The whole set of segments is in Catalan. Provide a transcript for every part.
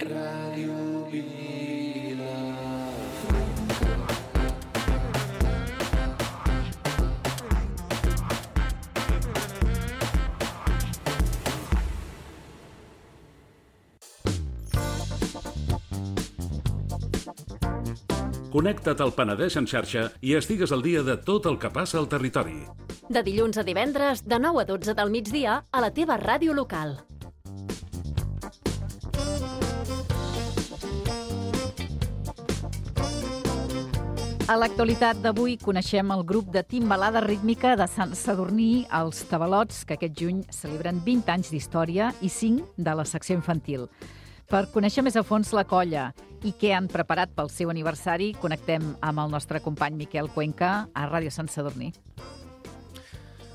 Ràdio Vila. Connecta't al Penedès en xarxa i estigues al dia de tot el que passa al territori. De dilluns a divendres, de 9 a 12 del migdia, a la teva ràdio local. A l'actualitat d'avui coneixem el grup de timbalada rítmica de Sant Sadurní, els Tabalots, que aquest juny celebren 20 anys d'història i 5 de la secció infantil. Per conèixer més a fons la colla i què han preparat pel seu aniversari, connectem amb el nostre company Miquel Cuenca a Ràdio Sant Sadurní.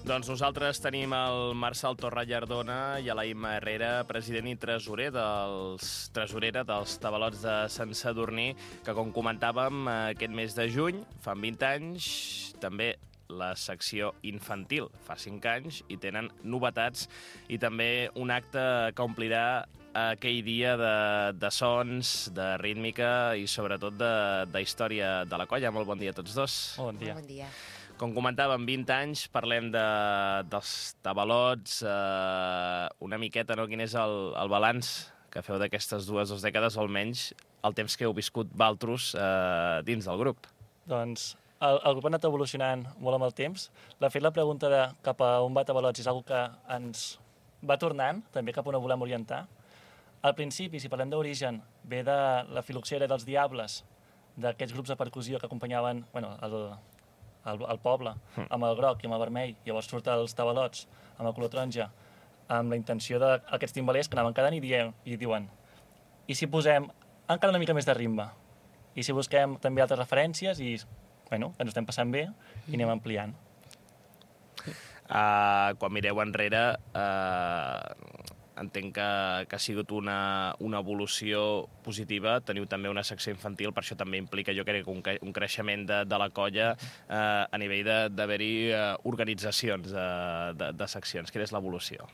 Doncs nosaltres tenim el Marçal Torrallardona i a la Imma Herrera, president i tresorera dels Tabalots de Sant Sadurní, que, com comentàvem, aquest mes de juny, fan 20 anys, també la secció infantil fa 5 anys i tenen novetats i també un acte que omplirà aquell dia de sons, de rítmica i sobretot de història de la colla. Molt bon dia a tots dos. Bon dia. Bon dia. Com comentàvem, 20 anys, parlem dels Tabalots, una miqueta, no? Quin és el balanç que feu d'aquestes dues dècades, o almenys el temps que heu viscut valtros dins del grup? Doncs el grup ha anat evolucionant molt amb el temps. De fet, la pregunta de cap a on va Tabalots és una que ens va tornant, també cap a on ho volem orientar. Al principi, si parlem d'origen, ve de la filoxera dels Diables, d'aquests grups de percussió que acompanyaven el poble, amb el groc i amb el vermell. Llavors surt els Tabalots amb el color taronja, amb la intenció d'aquests timbalers que anaven quedant i diuen i si posem encara una mica més de ritme? I si busquem també altres referències i, bueno, ens ho estem passant bé i anem ampliant. Quan mireu enrere, entenc que ha sigut una evolució positiva. Teniu també una secció infantil, per això també implica, jo crec, un creixement de la colla a nivell d'haver-hi organitzacions de seccions. Quina és l'evolució?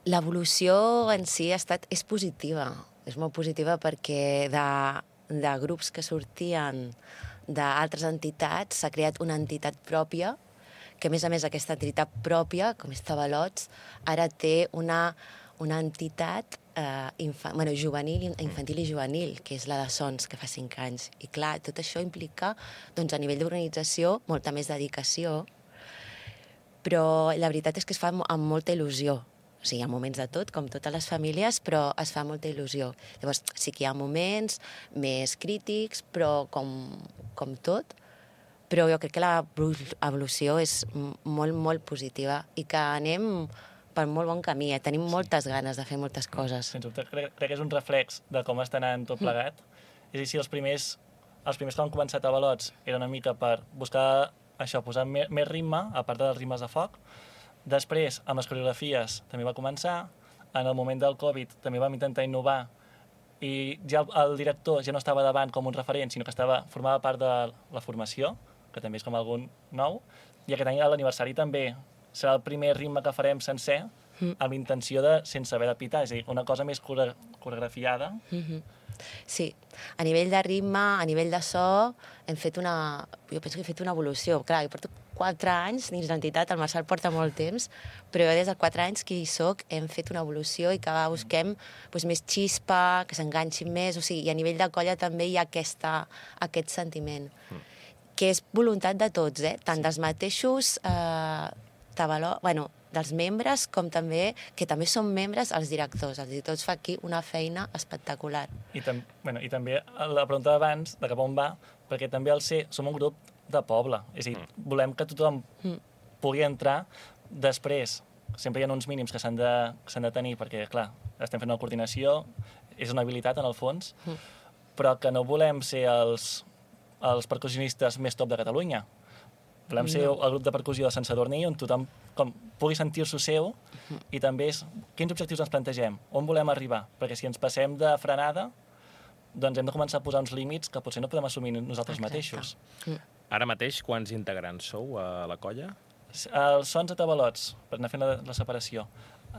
L'evolució en si és positiva. És molt positiva perquè de grups que sortien d'altres entitats s'ha creat una entitat pròpia que, a més, aquesta entitat pròpia, com és Tabalots, ara té una entitat infantil i juvenil, que és la de Sons, que fa 5 anys. I clar, tot això implica, doncs, a nivell d'organització, molta més dedicació, però la veritat és que es fa amb molta il·lusió. O sigui, hi ha moments de tot, com totes les famílies, però es fa molta il·lusió. Llavors, sí que hi ha moments més crítics, però com tot, però jo crec que l'evolució és molt, molt positiva i que anem per molt bon camí. Tenim moltes ganes de fer moltes coses. Sens dubte, crec que és un reflex de com està anant tot plegat. És a dir, si els primers que han començat a Tabalots era una mica per buscar això, posar més ritme, a part dels ritmes de foc. Després, amb les coreografies, també va començar. En el moment del Covid també vam intentar innovar i ja el director ja no estava davant com un referent, sinó que formava part de la formació, que també és com algun nou, i aquest any a l'aniversari també serà el primer ritme que farem sencer amb l'intenció de sense haver de pitar, és a dir, una cosa més coreografiada. Sí, a nivell de ritme, a nivell de so, jo penso que he fet una evolució. Clar, jo porto 4 anys dins l'entitat, el Marçal porta molt temps, però jo des de 4 anys que hi soc hem fet una evolució i que busquem més xispa, que s'enganxin més, o sigui, i a nivell de colla també hi ha aquest sentiment, que és voluntat de tots, tant dels mateixos dels membres, com també, que també són membres els directors. Els directors fa aquí una feina espectacular. I també la pregunta d'abans, de cap on va, perquè també som un grup de poble. És a dir, volem que tothom pugui entrar. Després, sempre hi ha uns mínims que s'han de tenir, perquè, clar, estem fent una coordinació, és una habilitat, en el fons, però que no volem ser els percussionistes més top de Catalunya. Volem ser el grup de percussió de Sant Sadurní on tothom pugui sentir-s'ho seu i també quins objectius ens plantegem, on volem arribar, perquè si ens passem de frenada doncs hem de començar a posar uns límits que potser no podem assumir nosaltres mateixos. Ara mateix, quants integrants sou a la colla? Els Sons a Tabalots, per anar fent la separació,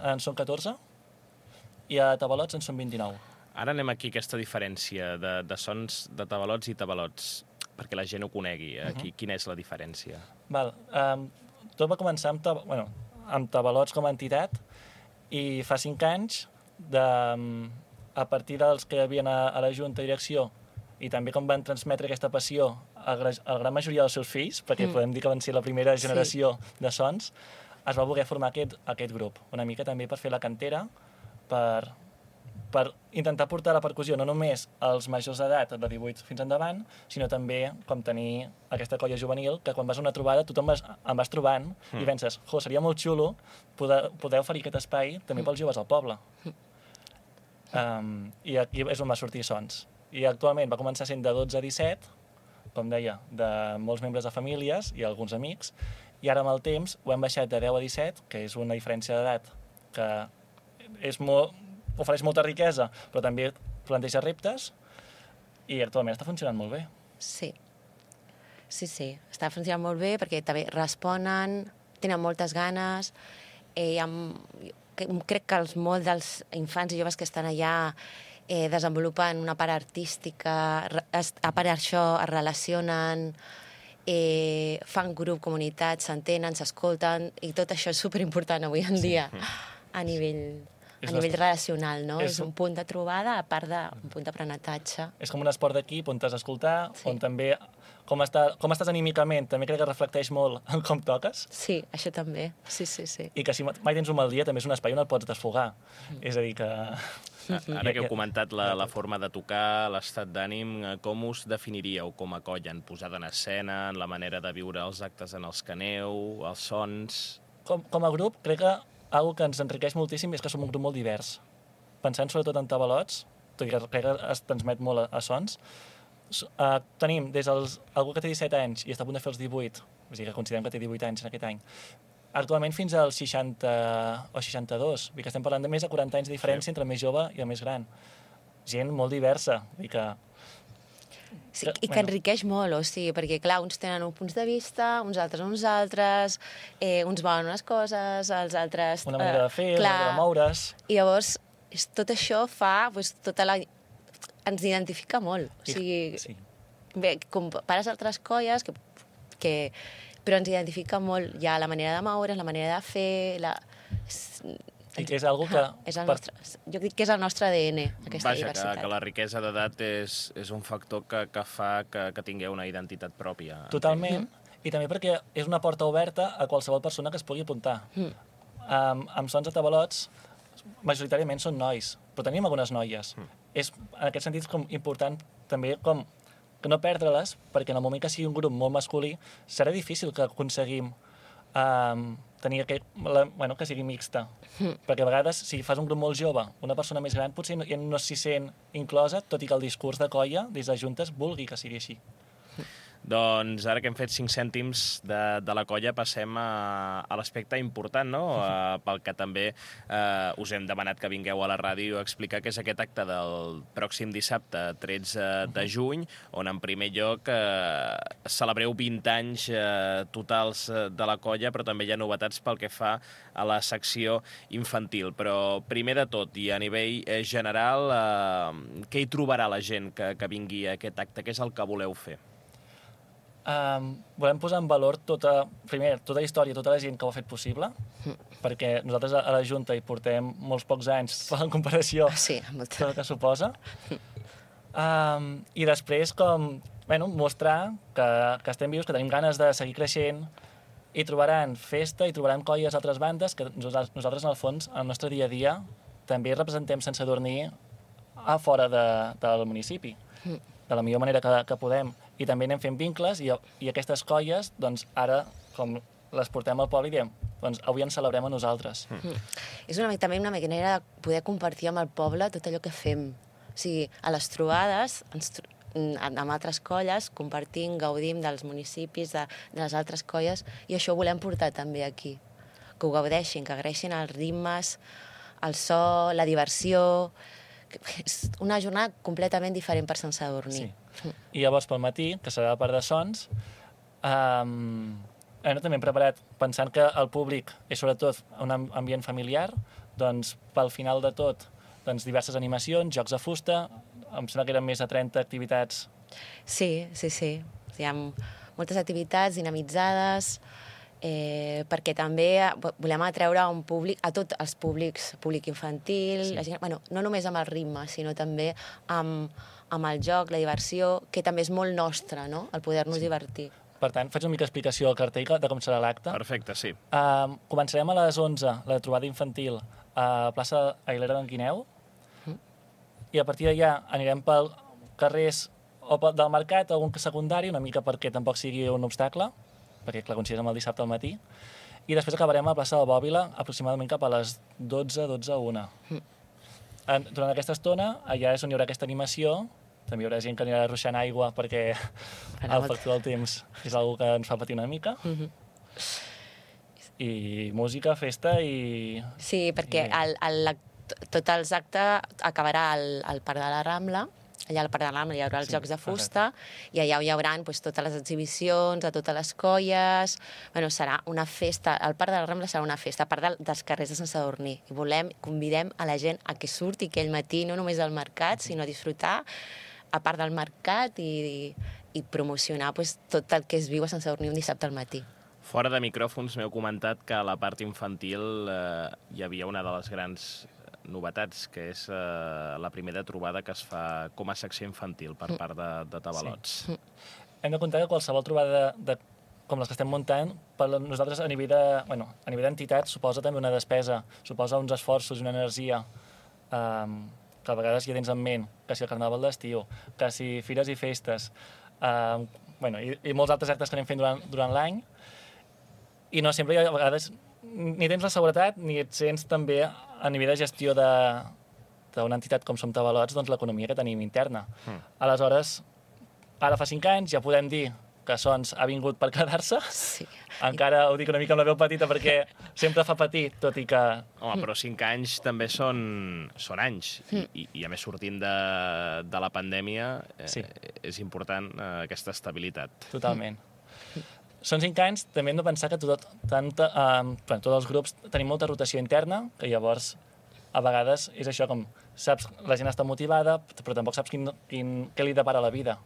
en són 14 i a tabalots en són 29. Ara anem aquí a aquesta diferència de sons de tabalots i tabalots, perquè la gent ho conegui. Quina és la diferència? Tot va començar amb tabalots com a entitat i fa 5 anys, a partir dels que hi havia a la Junta de Direcció i també com van transmetre aquesta passió a la gran majoria dels seus fills, perquè podem dir que van ser la primera generació de sons, es va voler formar aquest grup. Una mica també per fer la cantera, per intentar portar la percussió no només als majors d'edat, de 18 fins endavant, sinó també com tenir aquesta colla juvenil, que quan vas a una trobada tothom em vas trobant i penses, seria molt xulo poder oferir aquest espai també pels joves al poble. I aquí és on va sortir Sons. I actualment va començar sent de 12 a 17, com deia, de molts membres de famílies i alguns amics, i ara amb el temps ho hem baixat de 10 a 17, que és una diferència d'edat que ofereix molta riquesa, però també planteja reptes, i actualment està funcionant molt bé. Sí, està funcionant molt bé perquè també responen, tenen moltes ganes, crec que molts dels infants i joves que estan allà desenvolupen una part artística, a part d'això es relacionen, fan grup, comunitat, s'entenen, s'escolten, i tot això és superimportant avui en dia a nivell relacional, no? És un punt de trobada, a part d'un punt d'aprenentatge. És com un esport d'equip on t'has d'escoltar, on també com estàs anímicament, també crec que reflecteix molt en com toques. Sí, això també, sí. I que si mai tens un mal dia també és un espai on et pots desfogar. És a dir que... Ara que heu comentat la forma de tocar, l'estat d'ànim, com us definiríeu com a colla? En posada en escena, en la manera de viure els actes en els que aneu, els sons... Com a grup, crec que algo que ens enriqueix moltíssim és que som un grup molt divers. Pensant sobretot en tabalots, tot i que crec que es transmet molt a sons, tenim des algú que té 17 anys i està a punt de fer els 18, és a dir, que considerem que té 18 anys en aquest any, actualment fins als 60 o 62, que estem parlant de més de 40 anys de diferència entre el més jove i el més gran. Gent molt diversa, Sí, i que enriqueix molt, perquè clar, uns tenen uns punts de vista, uns altres, uns volen unes coses, els altres... Una manera de fer, una manera de moure's... I llavors, tot això fa, ens identifica molt. Sí. Bé, compares altres colles, però ens identifica molt ja la manera de moure's, la manera de fer... I que és algo que... Jo dic que és el nostre ADN, aquesta diversitat. Que la riquesa d'edat és un factor que fa que tingueu una identitat pròpia. Totalment, i també perquè és una porta oberta a qualsevol persona que es pugui apuntar. Amb Sons de Tabalots, majoritàriament són nois, però tenim algunes noies. És, en aquest sentit, com important també com que no perdre-les, perquè en el moment que sigui un grup molt masculí, serà difícil que aconseguim tenir que sigui mixta. Perquè a vegades, si fas un grup molt jove, una persona més gran potser no s'hi sent inclosa, tot i que el discurs de colla, des de juntes, vulgui que sigui així. Doncs ara que hem fet 5 cèntims de la colla passem a l'aspecte important, no? Pel que també us hem demanat que vingueu a la ràdio a explicar què és aquest acte del pròxim dissabte 13 de juny, on en primer lloc celebreu 20 anys totals de la colla, però també hi ha novetats pel que fa a la secció infantil. Però primer de tot i a nivell general, què hi trobarà la gent que vingui a aquest acte? Què és el que voleu fer? Volem posar en valor tota la història, tota la gent que ho ha fet possible, perquè nosaltres a la Junta hi portem molts pocs anys en comparació amb el que suposa. I després mostrar que estem vius, que tenim ganes de seguir creixent, i trobaran festa, i trobaran colles d'altres bandes, que nosaltres en el fons, en el nostre dia a dia, també representem Sant Sadurní a fora del municipi, de la millor manera que podem. I també anem fent vincles i aquestes colles, doncs, ara, com les portem al poble i diem, doncs avui ens celebrem a nosaltres. És també una manera de poder compartir amb el poble tot allò que fem. O sigui, a les trobades, amb altres colles, compartim, gaudim dels municipis, de les altres colles, i això ho volem portar també aquí. Que ho gaudeixin, que agraeixin els ritmes, el so, la diversió... És una jornada completament diferent per Sant Sadurní. Sí. I llavors pel matí, que serà la part de sons, també hem preparat, pensant que el públic és sobretot un ambient familiar, doncs pel final de tot doncs, diverses animacions, jocs de fusta, em sembla que eren més de 30 activitats. Sí. Hi ha moltes activitats dinamitzades, perquè també volem atreure a un públic, a tots els públics, públic infantil, la gent, no només amb el ritme, sinó també amb el joc, la diversió, que també és molt nostre, no?, el poder-nos divertir. Per tant, faig una mica explicació al cartell de com serà l'acte. Perfecte, sí. Començarem a les 11, la trobada infantil, a plaça Aguilera d'en Guineu, i a partir d'allà anirem per carrers o del mercat o algun secundari, una mica perquè tampoc sigui un obstacle, perquè clar, coincideix amb el dissabte al matí, i després acabarem a la plaça de Bòbila aproximadament cap a les 12:01. Durant aquesta estona, allà és on hi haurà aquesta animació. També hi haurà gent que anirà ruixant aigua perquè el factor del temps és una que ens fa patir una mica. I música, festa i... Sí, perquè tot els actes acabarà al Parc de la Rambla. Allà al Parc de la Rambla hi haurà els jocs de fusta i allà hi haurà totes les exhibicions de totes les colles. Serà una festa. El Parc de la Rambla serà una festa, a part dels carrers de Sant Sadurní. I convidem a la gent a que surti aquell matí, no només al mercat, sinó a disfrutar a part del mercat i promocionar tot el que es viu a Sant Sadurní un dissabte al matí. Fora de micròfons m'heu comentat que a la part infantil hi havia una de les grans novetats, que és la primera trobada que es fa com a secció infantil per part de Tabalots. Sí. Hem de comptar que qualsevol trobada com les que estem muntant, per nosaltres a nivell d'entitat suposa també una despesa, suposa uns esforços i una energia que a vegades ja tens en ment, que si el carnaval d'estiu, que si fires i festes, i molts altres actes que anem fent durant l'any, i no sempre a vegades ni tens la seguretat ni et sents també a nivell de gestió d'una entitat com som Tabalots, doncs l'economia que tenim interna. Aleshores, ara fa 5 anys ja podem dir que Sons ha vingut per quedar-se. Sí. Encara ho dic una mica amb la veu petita perquè sempre fa patir, tot i que... Home, però 5 anys també són anys. I a més, sortint de la pandèmia, és important aquesta estabilitat. Totalment. Són 5 anys, també hem de pensar que tots els grups tenim molta rotació interna, que llavors a vegades és això com, saps, la gent està motivada, però tampoc saps què li depara la vida.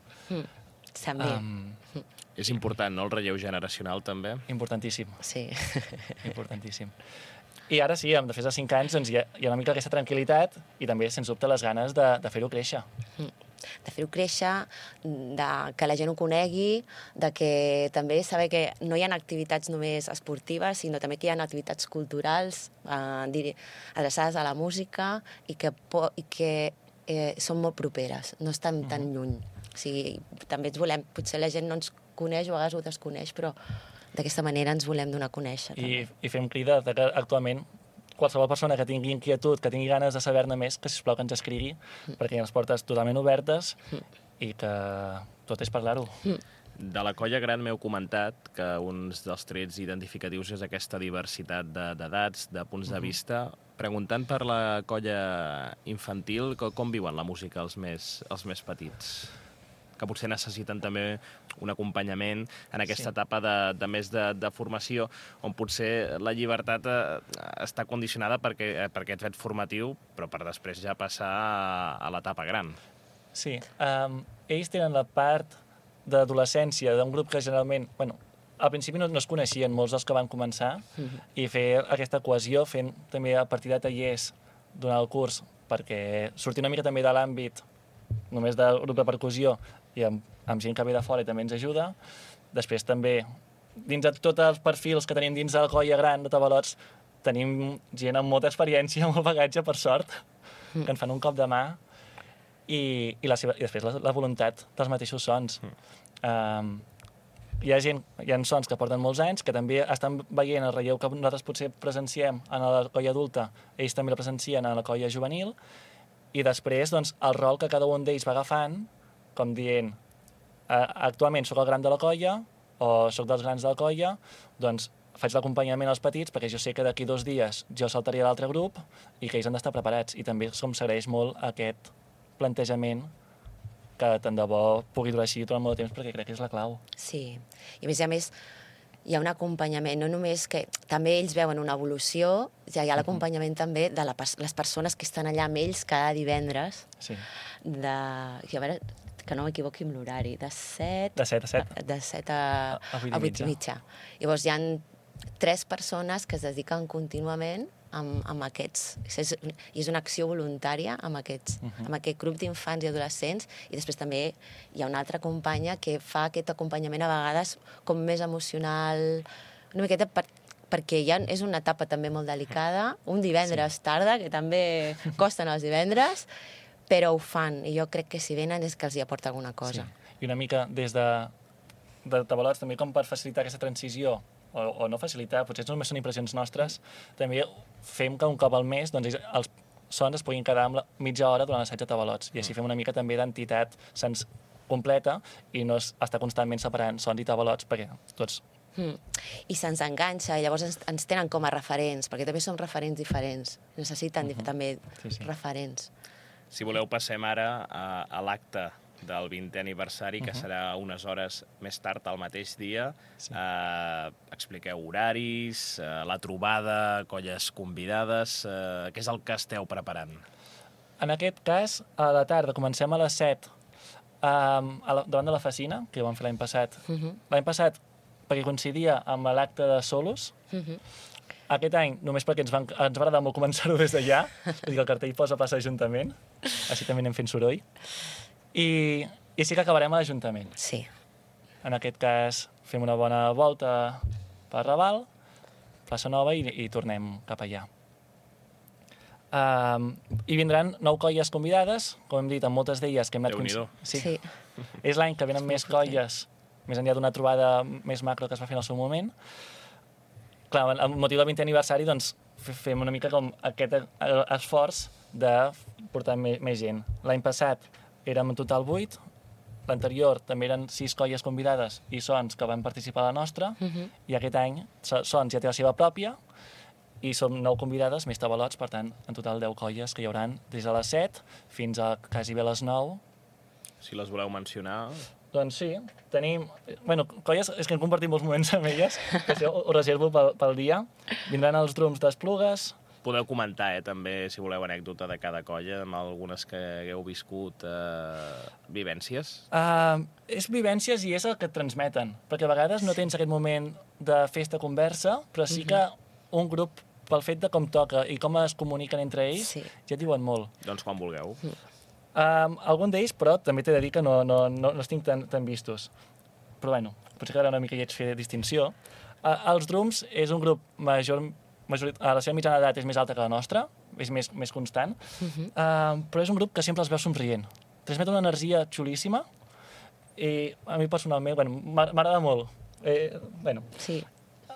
També. És important, no?, el relleu generacional, també. Importantíssim. Sí. Importantíssim. I ara sí, després de 5 anys doncs, hi ha una mica aquesta tranquil·litat i també, sens dubte, les ganes de fer-ho créixer. De fer-ho créixer, que la gent ho conegui, de que també saber que no hi ha activitats només esportives, sinó també que hi ha activitats culturals adreçades a la música i que són molt properes, no estan tan lluny. O sigui, també ens volem, potser la gent no ens coneix o a vegades ho desconeix, però d'aquesta manera ens volem donar a conèixer. I fem crida que actualment qualsevol persona que tingui inquietud, que tingui ganes de saber-ne més, que sisplau que ens escrigui, perquè hi ha les portes totalment obertes i que tot és parlar-ho. De la colla gran m'heu comentat que un dels trets identificatius és aquesta diversitat d'edats, de punts de vista. Preguntant per la colla infantil, com viuen la música els més petits? Que potser necessiten també un acompanyament en aquesta etapa de més de formació, on potser la llibertat està condicionada per aquest fet formatiu, però per després ja passar a l'etapa gran. Sí, ells tenen la part d'adolescència d'un grup que generalment, al principi no es coneixien molts dels que van començar, i fer aquesta cohesió, fent també a partir de tallers durant el curs, perquè sortir una mica també de l'àmbit només del grup de percussió i amb gent que ve de fora i també ens ajuda. Després també, dins de tots els perfils que tenim dins de la colla gran de Tabalots, tenim gent amb molta experiència, molt bagatge, per sort, que ens fan un cop de mà i després la voluntat dels mateixos sons. Hi ha sons que porten molts anys, que també estan veient el relleu que nosaltres potser presenciem en la colla adulta, ells també la presencien a la colla juvenil, i després doncs, el rol que cada un d'ells va agafant, com dient, actualment sóc el gran de la colla o sóc dels grans de la colla, doncs faig l'acompanyament als petits perquè jo sé que d'aquí 2 dies jo saltaria a l'altre grup i que ells han d'estar preparats. I també com s'agraeix molt aquest plantejament que tant de bo pugui durar així durant molt de temps perquè crec que és la clau. Sí, i a més hi ha un acompanyament, no només que també ells veuen una evolució, ja hi ha l'acompanyament també de les persones que estan allà amb ells cada divendres, Sí. I a veure, que no m'equivoqui amb l'horari, de 7... De 7 a 7. De 7 a 8 i mitja. Llavors hi ha 3 persones que es dediquen contínuament amb aquests. I és una acció voluntària amb aquest grup d'infants i adolescents, i després també hi ha una altra companya que fa aquest acompanyament a vegades com més emocional, una miqueta perquè ja és una etapa també molt delicada, un divendres tarda, que també costen els divendres, però ho fan, i jo crec que si venen és que els hi aporta alguna cosa. Sí. I una mica des de Tabalots, també com per facilitar aquesta transició, o no facilitar, potser només són impressions nostres, també fem que un cop al mes doncs, els sons es puguin quedar amb mitja hora durant l'assaig de Tabalots, i així fem una mica també d'entitat sens completa i no estar constantment separant sons i Tabalots perquè tots... I se'ns enganxa, i llavors ens tenen com a referents, perquè també som referents diferents, necessiten també referents. Si voleu, passem ara a l'acte del 20è aniversari, que serà unes hores més tard, al mateix dia. Expliqueu horaris, la trobada, colles convidades... Què és el que esteu preparant? En aquest cas, a la tarda, comencem a les 7, davant de la Facina, que ho vam fer l'any passat. L'any passat, perquè coincidia amb l'acte de Solos. Aquest any, només perquè ens va agradar molt començar-ho des d'allà, vull dir que el cartell posa plaça Ajuntament, així també anem fent soroll. I sí que acabarem a l'Ajuntament. Sí. En aquest cas, fem una bona volta per Raval, plaça Nova, i tornem cap allà. I vindran 9 colles convidades, com hem dit, amb moltes d'elles que hem anat... Déu-n'hi-do. Sí. És l'any que venen més colles, més enllà d'una trobada més macro que es va fer en el seu moment. Clar, amb motiu del 20è aniversari, doncs, fem una mica com aquest esforç de portar més gent. L'any passat érem en total 8, l'anterior també eren 6 colles convidades i Sons que van participar a la nostra, i aquest any Sons ja té la seva pròpia, i som 9 convidades, més Tabalots, per tant, en total 10 colles que hi hauran des de les 7 fins a quasi bé les 9. Si les voleu mencionar... Doncs sí, tenim... Bueno, colles, és que hem compartit molts moments amb elles, que això ho reservo pel dia. Vindran els drums d'Esplugues. Podeu comentar, també, si voleu, anècdota de cada colla, amb algunes que hagueu viscut, vivències? És vivències i és el que et transmeten, perquè a vegades no tens aquest moment de festa-conversa, però sí que un grup, pel fet de com toca i com es comuniquen entre ells, ja et diuen molt. Doncs quan vulgueu. Algun d'ells, però, també t'he de dir que no els tinc tan vistos. Però, bueno, potser quedarà una mica lleig fer distinció. Els Drums és un grup la seva mitjana d'edat és més alta que la nostra, és més constant, però és un grup que sempre els veu somrient. Transmet una energia xulíssima i a mi personalment, m'agrada molt.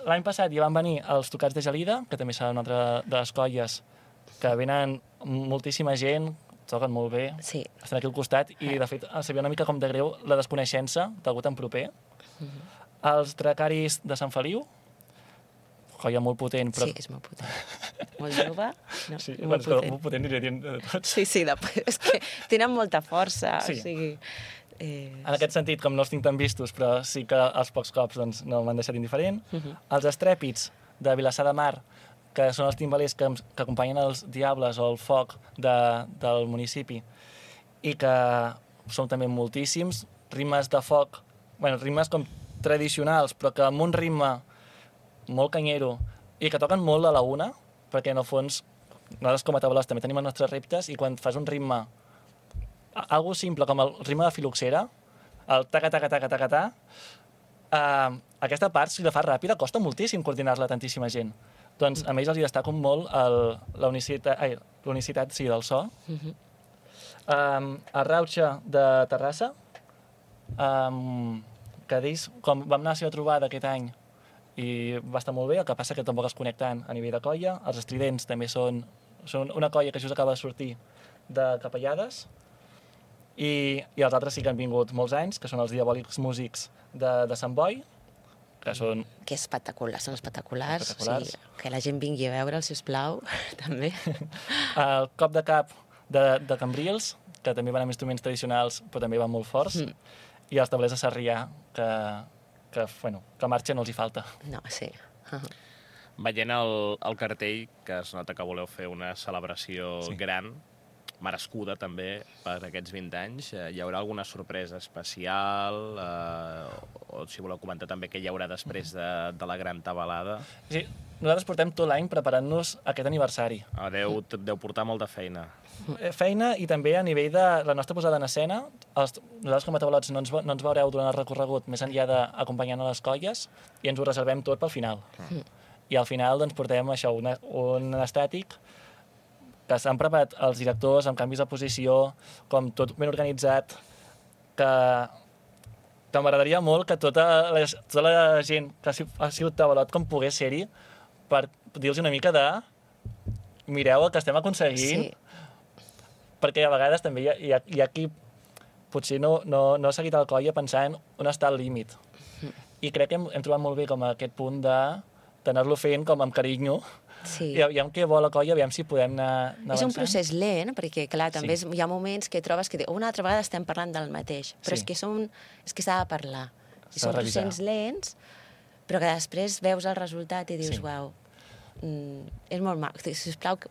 L'any passat ja van venir els Tocats de Gelida, que també serà una altra de les colles, que venen moltíssima gent, toquen molt bé, estan aquí al costat, i de fet sabia una mica com de greu la desconeixença d'algú tan proper. Els Dracaris de Sant Feliu, colla molt potent, però... Sí, és molt potent. Molt jove, no? Sí, molt potent. Molt potent diria de tots. Sí, és que tenen molta força, o sigui... En aquest sentit, com no els tinc tan vistos, però sí que els pocs cops doncs, no m'han deixat indiferent. Els Estrèpits de Vilassar de Mar, que són els timbalers que acompanyen els Diables o el Foc del municipi, i que són també moltíssims, rimes de foc, rimes com tradicionals, però que amb un ritme molt canyero, i que toquen molt a la una, perquè en el fons nosaltres com a Tabalots també tenim els nostres reptes, i quan fas un ritme algo simple com el ritme de filoxera, el taca-taca-taca-taca-ta, aquesta part, si la fas ràpida, costa moltíssim coordinar-la tantíssima gent. Doncs a ells els hi destaca molt la unicitat del so. El Rauxa de Terrassa, que d'ells, com vam anar a la seva trobada aquest any, i va estar molt bé, el que passa que tampoc es connecten a nivell de colla. Els Estridents també són una colla que just acaba de sortir de Capellades, i els altres sí que han vingut molts anys, que són els Diabòlics Músics de Sant Boi, que són... Que espectaculars, són espectaculars. O sigui, que la gent vingui a veure'ls, sisplau, també. El Cop de Cap de Cambrils, que també van amb instruments tradicionals, però també van molt forts, i els Tablers de Sarrià, que que marxa no els hi falta. No, sí. Veient el cartell, que es nota que voleu fer una celebració gran, merescuda també per aquests 20 anys, hi haurà alguna sorpresa especial? O si voleu comentar també què hi haurà després de la gran tabalada? Sí, nosaltres portem tot l'any preparant-nos aquest aniversari. Deu portar molta feina. Feina i també a nivell de la nostra posada en escena. Nosaltres com a tabalots no ens veureu durant el recorregut més enllà d'acompanyant a les colles i ens ho reservem tot pel final. I al final doncs, portem això, un estàtic que s'han preparat els directors amb canvis de posició, com tot ben organitzat, que m'agradaria molt que tota la gent que ha sigut tabalot com pogués ser-hi per dir-los una mica de mireu el que estem aconseguint, perquè a vegades també hi ha qui potser no ha seguit el coll pensant on està el límit. I crec que hem trobat molt bé com aquest punt d'anar-lo fent com amb carinyo, i aviam què vol la colla, aviam si podem anar avançant. És un procés lent, perquè clar, també hi ha moments que trobes que una altra vegada estem parlant del mateix, però és que s'ha de parlar. I són processos lents, però que després veus el resultat i dius, uau, és molt maco. Sisplau,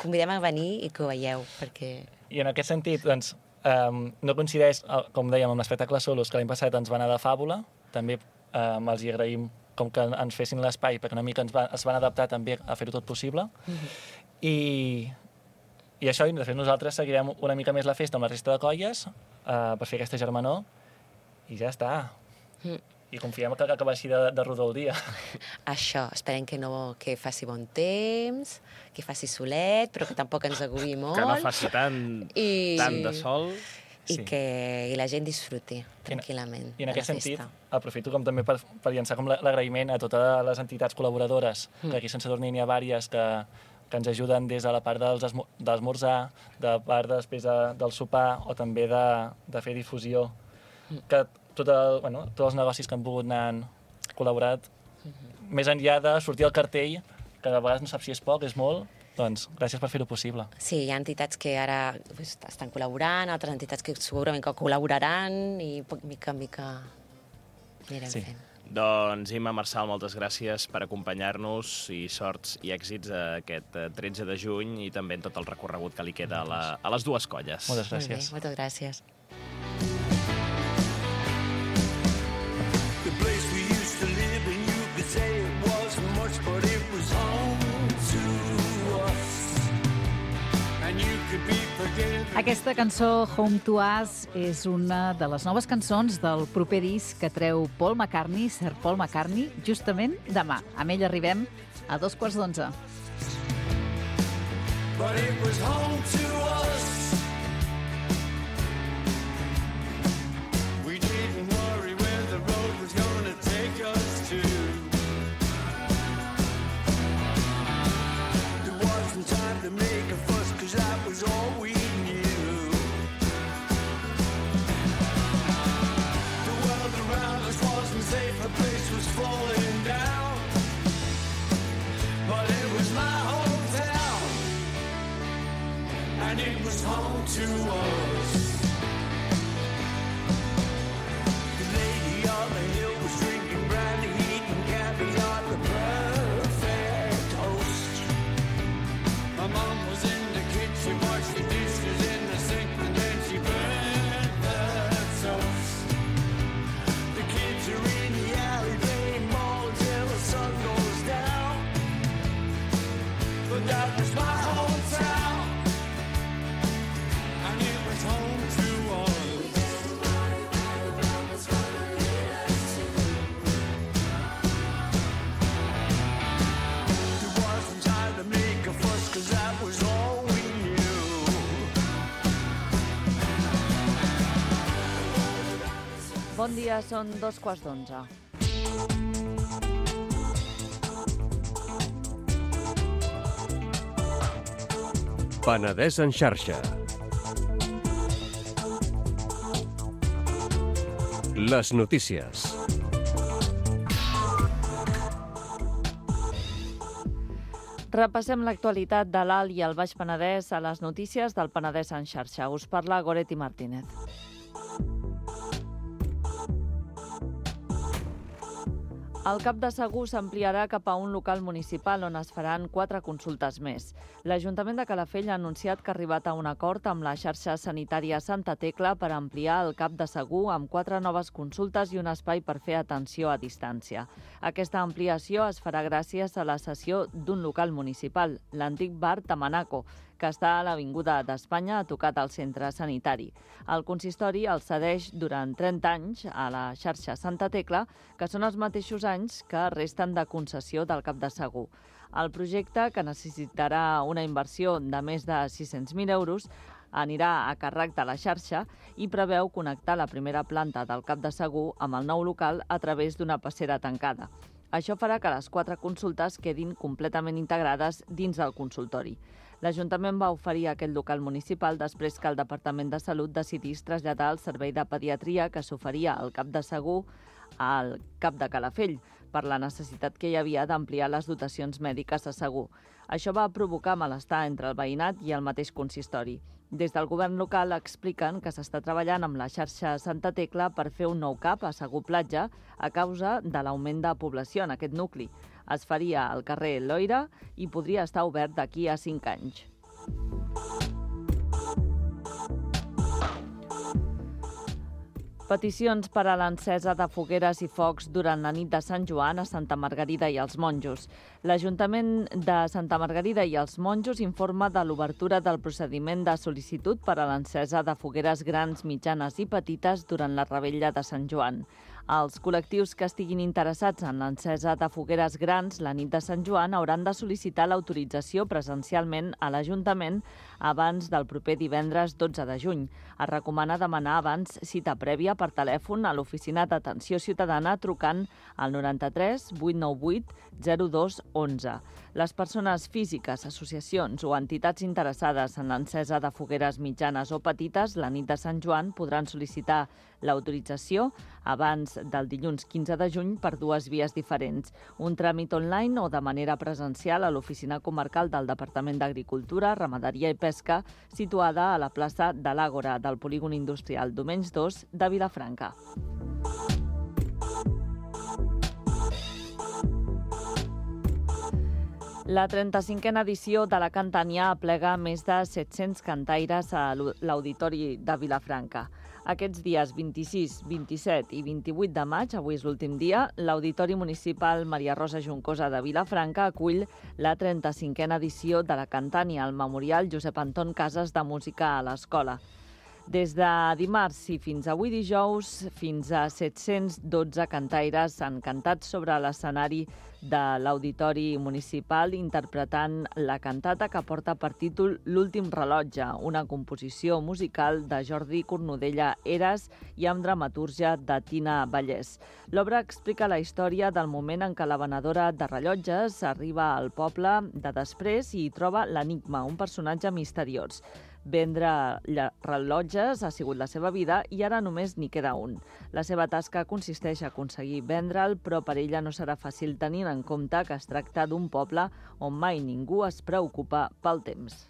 convidem a venir i que ho veieu, perquè... I en aquest sentit, doncs, no coincideix, com dèiem, amb l'espectacle Solos, que l'any passat ens va anar de fàbula, també els hi agraïm com que ens fessin l'espai, perquè una mica es van adaptar també a fer-ho tot possible. I això, de fet, nosaltres seguirem una mica més la festa amb la resta de colles per fer aquesta germanor i ja està. I confiem que vagi de rodó el dia. Això, esperem que faci bon temps, que faci solet, però que tampoc ens agobi molt. Que no faci tant de sol. I que la gent disfruti tranquil·lament. I en aquest sentit, aprofito com també per llançar com l'agraïment a totes les entitats col·laboradores, que aquí a Sant Sadurní n'hi ha diverses que ens ajuden des de la part d'esmorzar, de part després del sopar, o també de fer difusió. Que tots els negocis que han pogut anar col·laborat, més enllà de sortir al cartell, que a vegades no saps si és poc, és molt, doncs gràcies per fer-ho possible. Sí, hi ha entitats que ara estan col·laborant, altres entitats que segurament que col·laboraran i mica en mica anirem fent. Doncs Imma, Marçal, moltes gràcies per acompanyar-nos i sorts i èxits aquest 13 de juny i també en tot el recorregut que li queda a les dues colles. Moltes gràcies. Moltes gràcies. Aquesta cançó, Home to Us, és una de les noves cançons del proper disc que treu Paul McCartney, Sir Paul McCartney, justament demà. Amb ell arribem a 11:15. But it was home to us. We didn't worry where the road was gonna take us to. There wasn't time to make a fuss, 'cause that was all we knew. The world around us wasn't safe, the place was falling down. But it was my hometown, and it was home to us. The lady on the hill was drinking brandy, eating caviar, the perfect host. My mom was in the kitchen, washed the dishes in the sink, and then she burned the toast. The kids are in the alley playing ball till the sun goes down. But that was my hometown, and it was home to us. There wasn't time to make a fuss, 'cause that was all we knew. Bon dia, són 11:15. Penedès en xarxa. Les notícies. Repassem l'actualitat de l'Alt i el Baix Penedès a les notícies del Penedès en xarxa. Us parla Goretti Martínez. El CAP de Segur s'ampliarà cap a un local municipal on es faran 4 consultes més. L'Ajuntament de Calafell ha anunciat que ha arribat a un acord amb la xarxa sanitària Santa Tecla per ampliar el CAP de Segur amb 4 noves consultes i un espai per fer atenció a distància. Aquesta ampliació es farà gràcies a la cessió d'un local municipal, l'antic bar Tamanaco, que està a l'Avinguda d'Espanya, a tocat al centre sanitari. El consistori el cedeix durant 30 anys a la xarxa Santa Tecla, que són els mateixos anys que resten de concessió del CAP de Segur. El projecte, que necessitarà una inversió de més de 600.000 euros, anirà a càrrec de la xarxa i preveu connectar la primera planta del CAP de Segur amb el nou local a través d'una passera tancada. Això farà que les 4 consultes quedin completament integrades dins del consultori. L'Ajuntament va oferir aquest local municipal després que el Departament de Salut decidís traslladar el servei de pediatria que s'oferia al CAP de Segur al CAP de Calafell per la necessitat que hi havia d'ampliar les dotacions mèdiques a Segur. Això va provocar malestar entre el veïnat i el mateix consistori. Des del govern local expliquen que s'està treballant amb la xarxa Santa Tecla per fer un nou CAP a Segur Platja a causa de l'augment de població en aquest nucli. Es faria al carrer Loira i podria estar obert d'aquí a 5 anys. Peticions per a l'encesa de fogueres i focs durant la nit de Sant Joan a Santa Margarida i els Monjos. L'Ajuntament de Santa Margarida i els Monjos informa de l'obertura del procediment de sol·licitud per a l'encesa de fogueres grans, mitjanes i petites durant la revetlla de Sant Joan. Els col·lectius que estiguin interessats en l'encesa de fogueres grans la nit de Sant Joan hauran de sol·licitar l'autorització presencialment a l'Ajuntament abans del proper divendres 12 de juny. Es recomana demanar abans cita prèvia per telèfon a l'Oficina d'Atenció Ciutadana trucant al 93 898 02 11. Les persones físiques, associacions o entitats interessades en l'encesa de fogueres mitjanes o petites la nit de Sant Joan podran sol·licitar l'autorització abans del dilluns 15 de juny per 2 vies diferents. Un tràmit online o de manera presencial a l'Oficina Comarcal del Departament d'Agricultura, Ramaderia i Pesca, situada a la plaça de l'Àgora del Polígon Industrial Domenys 2 de Vilafranca. La 35a edició de la Cantània aplega més de 700 cantaires a l'Auditori de Vilafranca. Aquests dies 26, 27 i 28 de maig, avui és l'últim dia, l'Auditori Municipal Maria Rosa Juncosa de Vilafranca acull la 35a edició de la Cantània al Memorial Josep Anton Casas de Música a l'Escola. Des de dimarts i fins avui dijous, fins a 712 cantaires han cantat sobre l'escenari de l'Auditori Municipal interpretant la cantata que porta per títol L'últim rellotge, una composició musical de Jordi Cornudella Eras i amb dramatúrgia de Tina Vallès. L'obra explica la història del moment en què la venedora de rellotges arriba al poble de després i hi troba l'Enigma, un personatge misteriós. Vendre rellotges ha sigut la seva vida i ara només n'hi queda un. La seva tasca consisteix a aconseguir vendre'l, però per ella no serà fàcil tenint en compte que es tracta d'un poble on mai ningú es preocupa pel temps.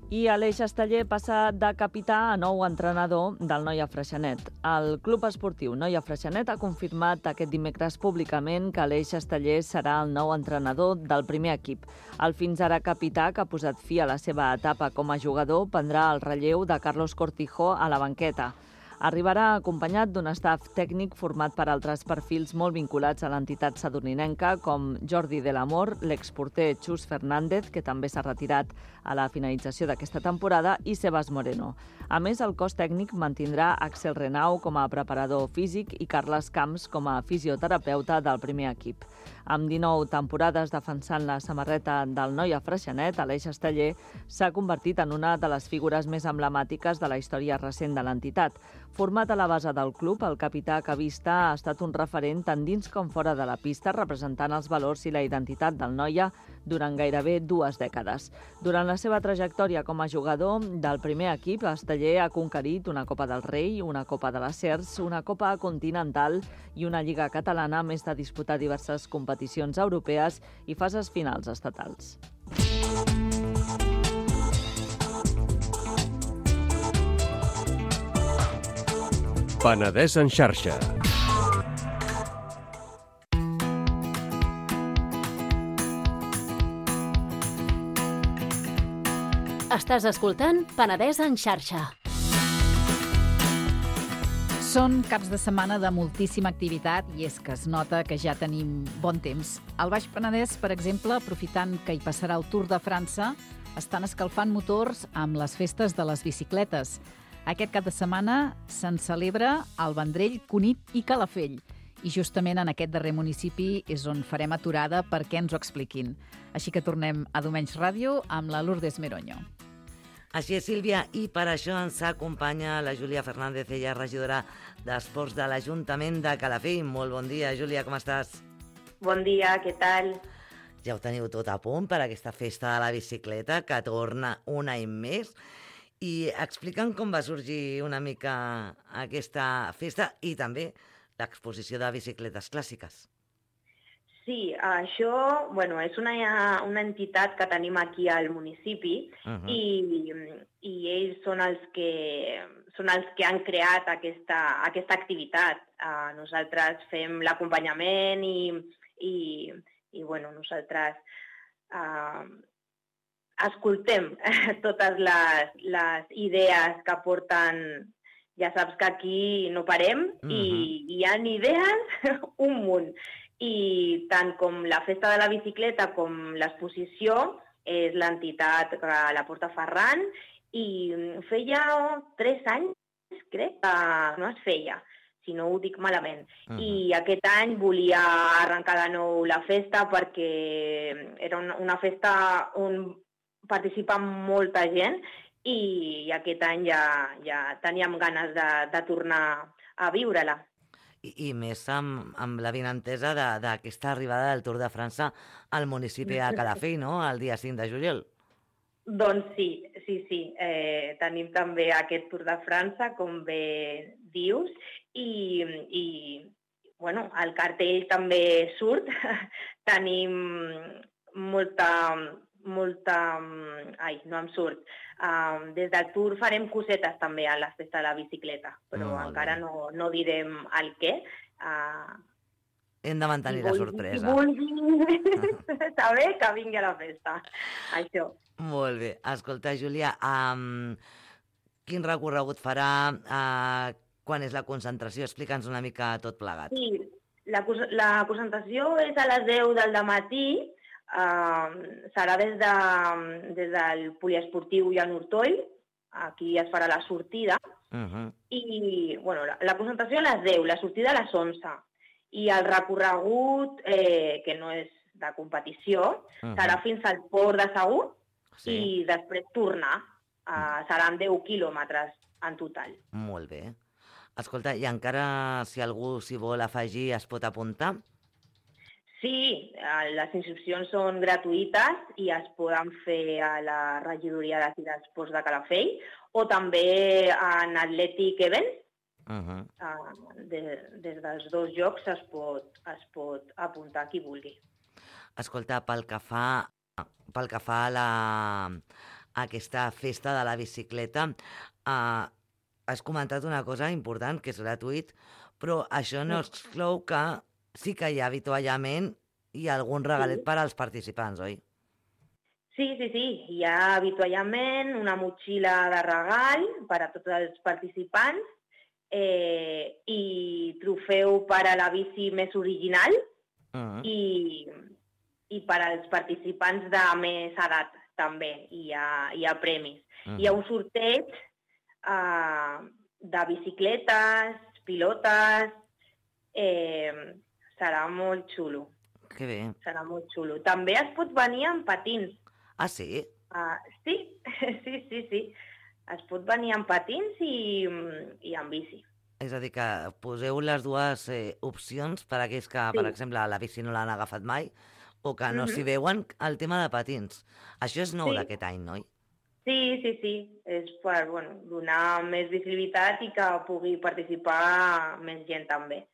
I Aleix Esteller passa de capità a nou entrenador del Noia Freixenet. El Club Esportiu Noia Freixenet ha confirmat aquest dimecres públicament que Aleix Esteller serà el nou entrenador del primer equip. El fins ara capità, que ha posat fi a la seva etapa com a jugador, prendrà el relleu de Carlos Cortijo a la banqueta. Arribarà acompanyat d'un staff tècnic format per altres perfils molt vinculats a l'entitat sadurninenca, com Jordi de l'Amor, l'exporter Xus Fernández, que també s'ha retirat a la finalització d'aquesta temporada, i Sebas Moreno. A més, el cos tècnic mantindrà Axel Renau com a preparador físic i Carles Camps com a fisioterapeuta del primer equip. Amb 19 temporades defensant la samarreta del Noia Freixenet, Aleix Esteller s'ha convertit en una de les figures més emblemàtiques de la història recent de l'entitat. Format a la base del club, el capità cavista ha estat un referent tant dins com fora de la pista, representant els valors i la identitat del Noia durant gairebé 2 dècades. Durant la seva trajectòria com a jugador del primer equip, Esteller ha conquerit una Copa del Rei, una Copa de les Cers, una Copa Continental i una Lliga Catalana, a més de disputar diverses competicions europees i fases finals estatals. Penedès en xarxa. Estàs escoltant Penedès en xarxa. Són caps de setmana de moltíssima activitat i és que es nota que ja tenim bon temps. Al Baix Penedès, per exemple, aprofitant que hi passarà el Tour de França, estan escalfant motors amb les festes de les bicicletes. Aquest cap de setmana se'n celebra al Vendrell, Cunit i Calafell. I justament en aquest darrer municipi és on farem aturada perquè ens ho expliquin. Així que tornem a Domenys Ràdio amb la Lourdes Meroño. Així és, Sílvia, i per això ens acompanya la Júlia Fernández, ella regidora d'Esports de l'Ajuntament de Calafell. Molt bon dia, Júlia, com estàs? Bon dia, què tal? Ja ho teniu tot a punt per aquesta festa de la bicicleta que torna un any més. I explica'm com va sorgir una mica aquesta festa i també l'exposició de bicicletes clàssiques. Sí, això és una entitat que tenim aquí al municipi i ells són els que han creat aquesta activitat. Nosaltres fem l'acompanyament i nosaltres escoltem totes les idees que porten. Ja saps que aquí no parem i hi ha idees un munt. I tant com la festa de la bicicleta com l'exposició és l'entitat que la porta Ferran i feia 3 anys, crec, que no es feia, si no ho dic malament. I aquest any volia arrencar de nou la festa perquè era una festa on participa molta gent i aquest any ja teníem ganes de tornar a viure-la. I més amb la vinentesa d'aquesta arribada del Tour de França al municipi de Calafell, no?, el dia 5 de juliol. Doncs sí. Tenim també aquest Tour de França, com bé dius, i el cartell també surt. Tenim molta... Ai, no em surt. Des del Tour farem cosetes també a la festa de la bicicleta, però encara no direm el què. Hem de mantenir la sorpresa. Si vulguin saber, que vingui a la festa. Això. Molt bé. Escolta, Júlia, quin recorregut farà? Quan és la concentració? Explica'ns una mica tot plegat. Sí, la concentració és a les 10 del dematí. Serà des del poliesportiu Jan Ortoll, aquí es farà la sortida, i la concentració a les 10, la sortida a les 11, i el recorregut, que no és de competició, serà fins al port de Segur i després tornar. Seran 10 quilòmetres en total. Molt bé. Escolta, i encara si algú s'hi vol afegir es pot apuntar? Sí, les inscripcions són gratuïtes i es poden fer a la regidoria d'Esports de Calafell o també en Athletic Events. Des dels dos llocs es pot apuntar qui vulgui. Escolta, pel que fa a aquesta festa de la bicicleta, has comentat una cosa important, que és gratuït, però això no exclou que sí que hi ha avituallament i algun regalet per als participants, oi? Sí. Hi ha avituallament, una motxilla de regal per a tots els participants i trofeu per a la bici més original i per als participants de més edat també. Hi ha premis. Hi ha un sorteig de bicicletes, pilotes... Serà molt xulo. Que bé. Serà molt xulo. També es pot venir amb patins. Ah, sí? Sí. Es pot venir amb patins i amb bici. És a dir, que poseu les dues opcions per a aquells que, per exemple, la bici no l'han agafat mai o que no s'hi veuen, el tema de patins. Això és nou d'aquest any, no? Sí. És per donar més visibilitat i que pugui participar més gent també.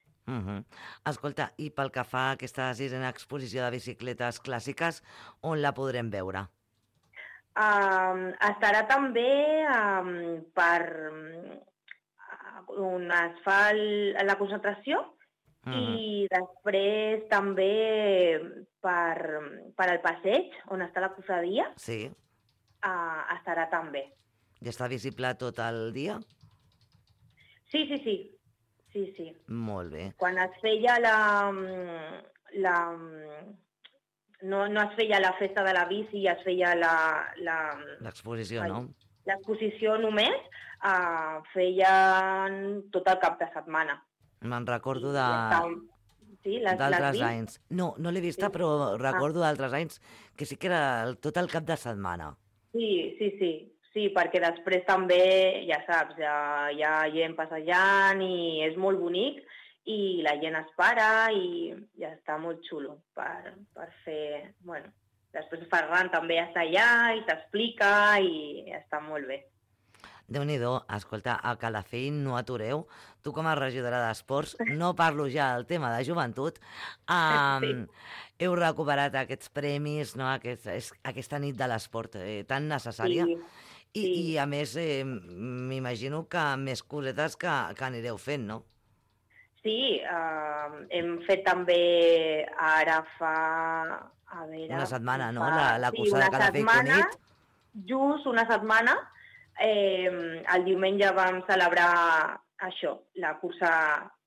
Escolta, i pel que fa a aquesta sisena exposició de bicicletes clàssiques, on la podrem veure? Estarà també on es fa la concentració, i després també per al passeig, on està la cofradia, Sí. Estarà també. I està visible tot el dia? Sí. Molt bé. Quan es feia no es feia la festa de la bici, es feia L'exposició, no? l'exposició només, feien tot el cap de setmana. Me'n recordo Sí, d'altres anys. No l'he vista, però recordo d'altres anys que sí que era tot el cap de setmana. Sí, perquè després també, ja saps, hi ha gent passejant i és molt bonic i la gent es para i ja està molt xulo per fer... Bueno, després Ferran també està allà i t'explica i està molt bé. Déu-n'hi-do, escolta, a Calafell no atureu. Tu com a regidora d'Esports, no parlo ja del tema de joventut, heu recuperat aquests premis, no? Aquesta nit de l'esport tan necessària. I a més, m'imagino que més cosetes que anireu fent, no? Sí, hem fet també ara fa... A veure, una setmana, no? La cursa de Calafell Cunit. Just una setmana. El diumenge vam celebrar això, la cursa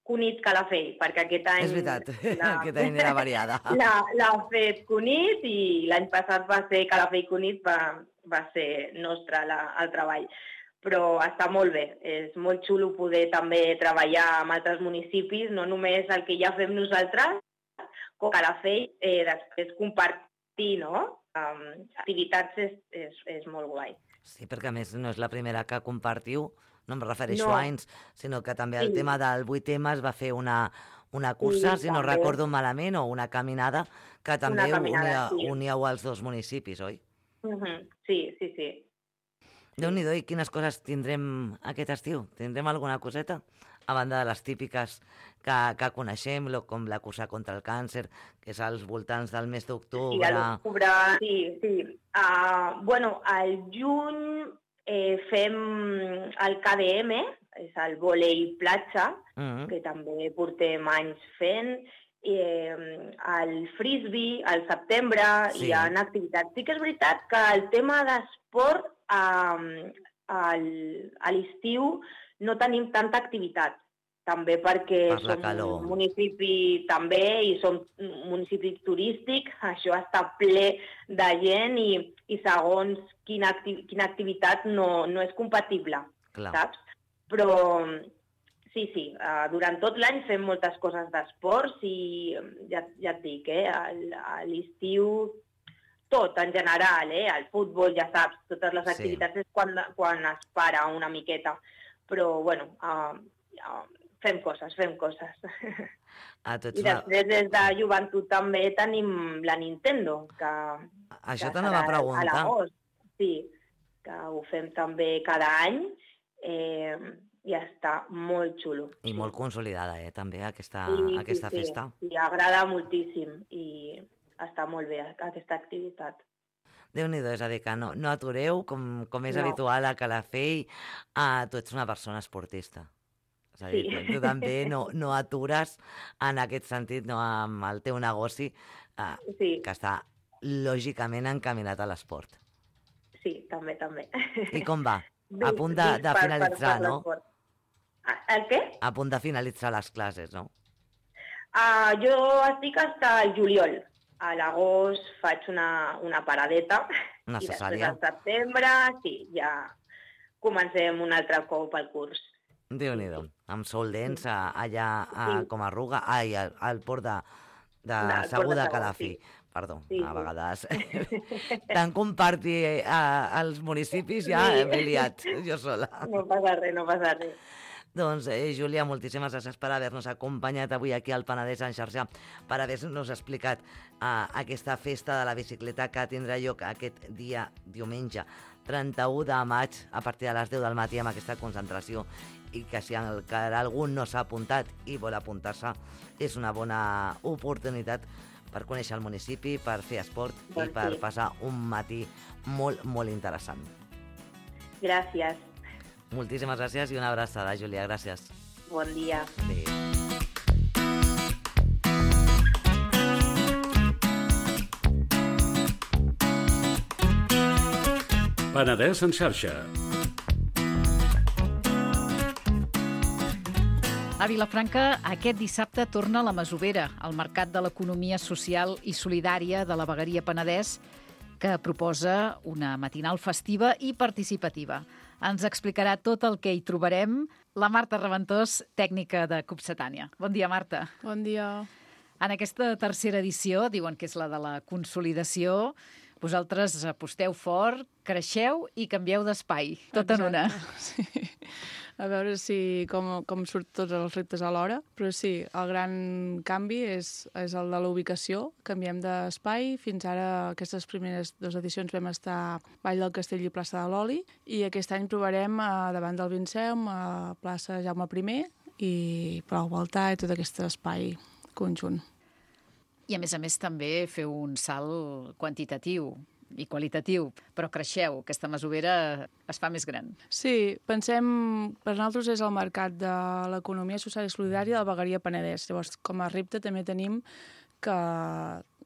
Cunit Calafell, perquè aquest any... És veritat, aquest any era variada. L'ha fet Cunit i l'any passat va ser Calafell Cunit, va ser nostre el treball. Però està molt bé, és molt xulo poder també treballar amb altres municipis, no només el que ja fem nosaltres, com Calafell, després compartir, no? Activitats és molt guai. Sí, perquè a més no és la primera que compartiu, no em refereixo a anys, sinó que també el tema del 8M es va fer una cursa, si no recordo malament, o una caminada, que també uníeu els dos municipis, oi? Sí. Déu-n'hi-do, i quines coses tindrem aquest estiu? Tindrem alguna coseta? A banda de les típiques que coneixem, com la cursa contra el càncer, que és als voltants del mes d'octubre. Sí, a l'octubre, sí. Bueno, al juny fem el KDM, és el vòlei platja, que també portem anys fent, el frisbee, al setembre, hi ha activitats. Sí que és veritat que el tema d'esport a l'estiu no tenim tanta activitat, també perquè som un municipi també i som un municipi turístic, això està ple de gent i segons quina activitat no és compatible, saps? Però sí, durant tot l'any fem moltes coses d'esports i ja et dic, a l'estiu tot en general, el futbol, ja saps, totes les activitats és quan es para una miqueta. Però, bueno, fem coses. I després, des de joventut també tenim la Nintendo, que això t'anava a preguntar. A l'agost, sí, que ho fem també cada any i està molt xulo. I molt consolidada, també, aquesta festa. Sí, agrada moltíssim i està molt bé aquesta activitat. Déu-n'hi-do, és a dir, que no atureu, com és habitual a Calafell, tu ets una persona esportista. És a dir, tu també no atures en aquest sentit, no, amb el teu negoci, que està lògicament encaminat a l'esport. Sí, també. I com va? A punt de finalitzar, no? El què? A punt de finalitzar les classes, no? Jo estic fins al juliol. A l'agost faig una paradeta. Necessària. I després al setembre, sí, ja comencem un altre cop el curs. Déu-n'hi-do, amb Sol Dents allà a Comarruga, al port de Segur de Calafell. Perdó, a vegades. Tant compartir als municipis ja m'he liat jo sola. No passa res. Doncs, Júlia, moltíssimes gràcies per haver-nos acompanyat avui aquí al Penedès en xarxa, per haver-nos explicat aquesta festa de la bicicleta que tindrà lloc aquest dia, diumenge, 31 de maig, a partir de les 10 del matí, amb aquesta concentració, i que si algú no s'ha apuntat i vol apuntar-se, és una bona oportunitat per conèixer el municipi, per fer esport i per passar un matí molt, molt interessant. Gràcies. Moltíssimes gràcies i una abraçada, Júlia. Gràcies. Bon dia. Adéu. Penedès en xarxa. A Vilafranca, aquest dissabte torna la Masovera, el mercat de l'economia social i solidària de la vegueria Penedès, que proposa una matinal festiva i participativa. Ens explicarà tot el que hi trobarem la Marta Reventós, tècnica de Copsetània. Bon dia, Marta. Bon dia. En aquesta tercera edició, diuen que és la de la consolidació, vosaltres aposteu fort, creixeu i canvieu d'espai, tot en una. Sí. A veure com surt tots els reptes alhora, però sí, el gran canvi és el de la ubicació. Canviem d'espai. Fins ara, aquestes primeres 2 edicions vam estar a Vall del Castell i plaça de l'Oli, i aquest any provarem davant del Vinceum, a plaça Jaume I, i Palau Baltà i tot aquest espai conjunt. I a més també feu un salt quantitatiu i qualitatiu, però creixeu, aquesta Masovera es fa més gran. Sí, pensem, per nosaltres és el mercat de l'economia social i solidària de la vegueria Penedès. Llavors, com a repte també tenim que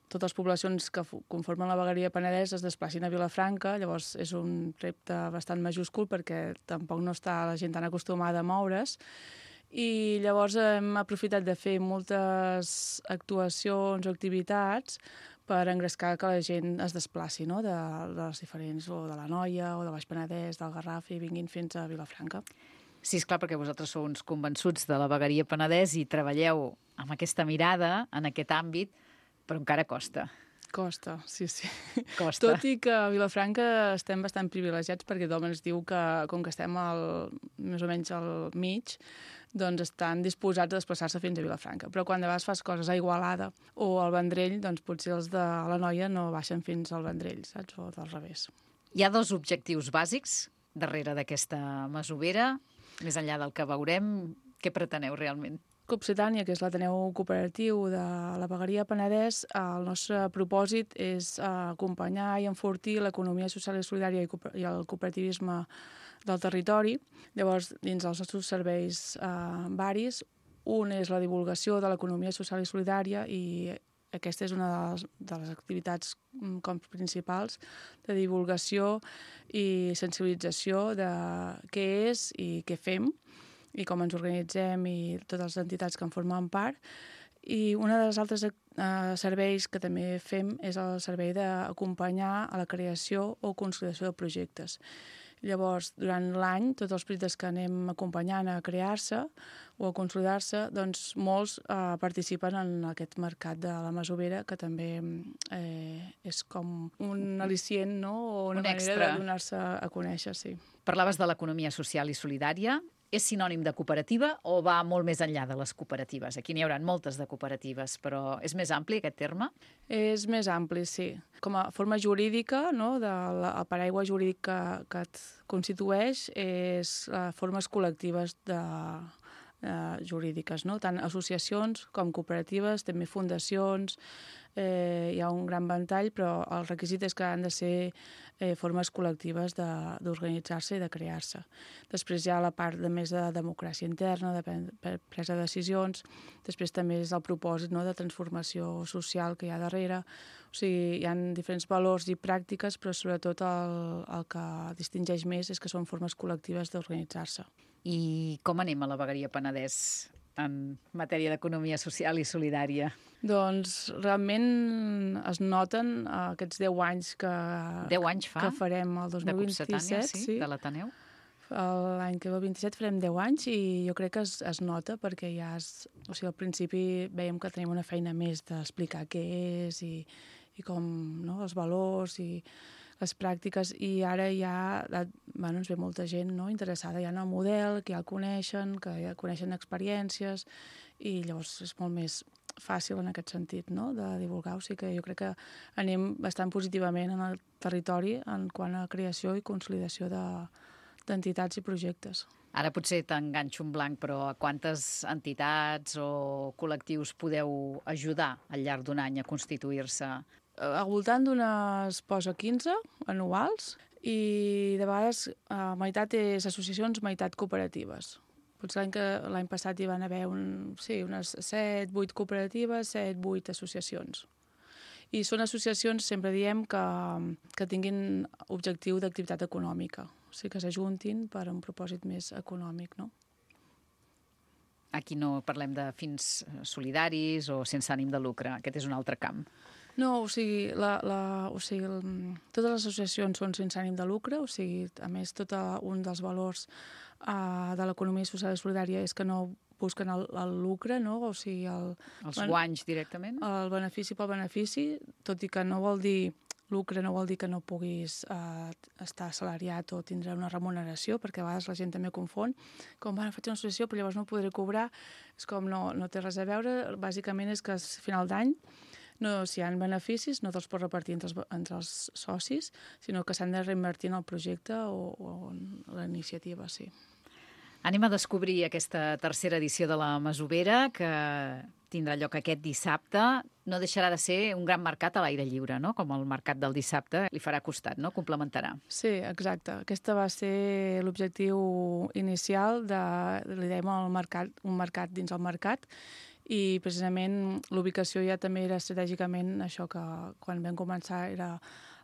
totes les poblacions que conformen la vegueria Penedès es desplacin a Vilafranca. Llavors és un repte bastant majúscul perquè tampoc no està la gent tan acostumada a moure's. I llavors hem aprofitat de fer moltes actuacions o activitats per engrescar que la gent es desplaci, no? de les diferents, o de la Noia, o de Baix Penedès, del Garraf, i vinguin fins a Vilafranca. Sí, esclar, perquè vosaltres sou uns convençuts de la vegueria Penedès i treballeu amb aquesta mirada, en aquest àmbit, però encara costa. Costa, sí. Costa. Tot i que a Vilafranca estem bastant privilegiats perquè tothom ens diu que, com que estem més o menys al mig, doncs estan disposats a desplaçar-se fins a Vilafranca. Però quan de vegades fas coses a Igualada o al Vendrell, doncs potser els de la Noia no baixen fins al Vendrell, saps? O del revés. Hi ha 2 objectius bàsics darrere d'aquesta Masovera. Més enllà del que veurem, què preteneu realment? Copsetània, que és l'Ateneu Cooperatiu de la vegueria Penedès, el nostre propòsit és acompanyar i enfortir l'economia social i solidària i el cooperativisme del territori. Llavors, dins dels nostres serveis varis, un és la divulgació de l'economia social i solidària, i aquesta és una de les activitats principals de divulgació i sensibilització de què és i què fem, i com ens organitzem i totes les entitats que en formen part. I un dels altres serveis que també fem és el servei d'acompanyar a la creació o consolidació de projectes. Llavors, durant l'any, tots els projectes que anem acompanyant a crear-se o a consolidar-se, doncs molts participen en aquest mercat de la Masovera, que també és com un al·licient, no? O una manera de donar-se a conèixer, sí. Parlaves de l'economia social i solidària. És sinònim de cooperativa o va molt més enllà de les cooperatives? Aquí n'hi haurà moltes de cooperatives, però és més ampli aquest terme? És més ampli, sí. Com a forma jurídica, no, el paraigua jurídic que et constitueix és formes col·lectives jurídiques, no? Tant associacions com cooperatives, també fundacions. Hi ha un gran ventall, però el requisit és que han de ser formes col·lectives d'organitzar-se i de crear-se. Després hi ha la part més de democràcia interna, de presa de decisions. Després també és el propòsit, no, de transformació social que hi ha darrere. O sigui, hi ha diferents valors i pràctiques, però sobretot el que distingeix més és que són formes col·lectives d'organitzar-se. I com anem a la vegueria Penedès en matèria d'economia social i solidària? Doncs realment es noten aquests 10 anys que 10 anys fa? Que farem el 2027. De Copsetània, sí, de l'Ateneu? L'any que ve, el 27, farem 10 anys i jo crec que es nota perquè ja o sigui, al principi veiem que tenim una feina més d'explicar què és i com, no, els valors i les pràctiques, i ara ja ens ve molta gent, no, interessada ja en el model, que ja el coneixen, que ja coneixen experiències, i llavors és molt més fàcil en aquest sentit, no?, de divulgar. O sigui que jo crec que anem bastant positivament en el territori en quant a creació i consolidació d'entitats i projectes. Ara potser t'enganxo un blanc, però a quantes entitats o col·lectius podeu ajudar al llarg d'un any a constituir-se? Al voltant d'unes 15 anuals, I de vegades meitat és associacions, meitat cooperatives. Potser l'any passat hi van haver unes 7-8 cooperatives, 7-8 associacions. I són associacions, sempre diem, que tinguin objectiu d'activitat econòmica, o sigui que s'ajuntin per un propòsit més econòmic, no? Aquí no parlem de fins solidaris o sense ànim de lucre, aquest és un altre camp. No, o sigui, totes les associacions són sense ànim de lucre, o sigui, a més, tot un dels valors de l'economia social i solidària és que no busquen el lucre, no? O sigui, els guanys directament? El benefici pel benefici, tot i que no vol dir lucre, no vol dir que no puguis estar assalariat o tindre una remuneració, perquè a vegades la gent també confon, com, faig una associació però llavors no podré cobrar, és com no té res a veure, bàsicament és que al final d'any si hi ha beneficis no te'ls pots repartir entre els socis, sinó que s'han de reinvertir en el projecte o en la iniciativa, sí. Anem a descobrir aquesta tercera edició de la Masovera, que tindrà lloc aquest dissabte. No deixarà de ser un gran mercat a l'aire lliure, no? Com el mercat del dissabte. Li farà costat, no? Complementarà. Sí, exacte. Aquesta va ser l'objectiu inicial li dèiem un mercat dins el mercat, i precisament l'ubicació ja també era estratègicament això que quan vam començar era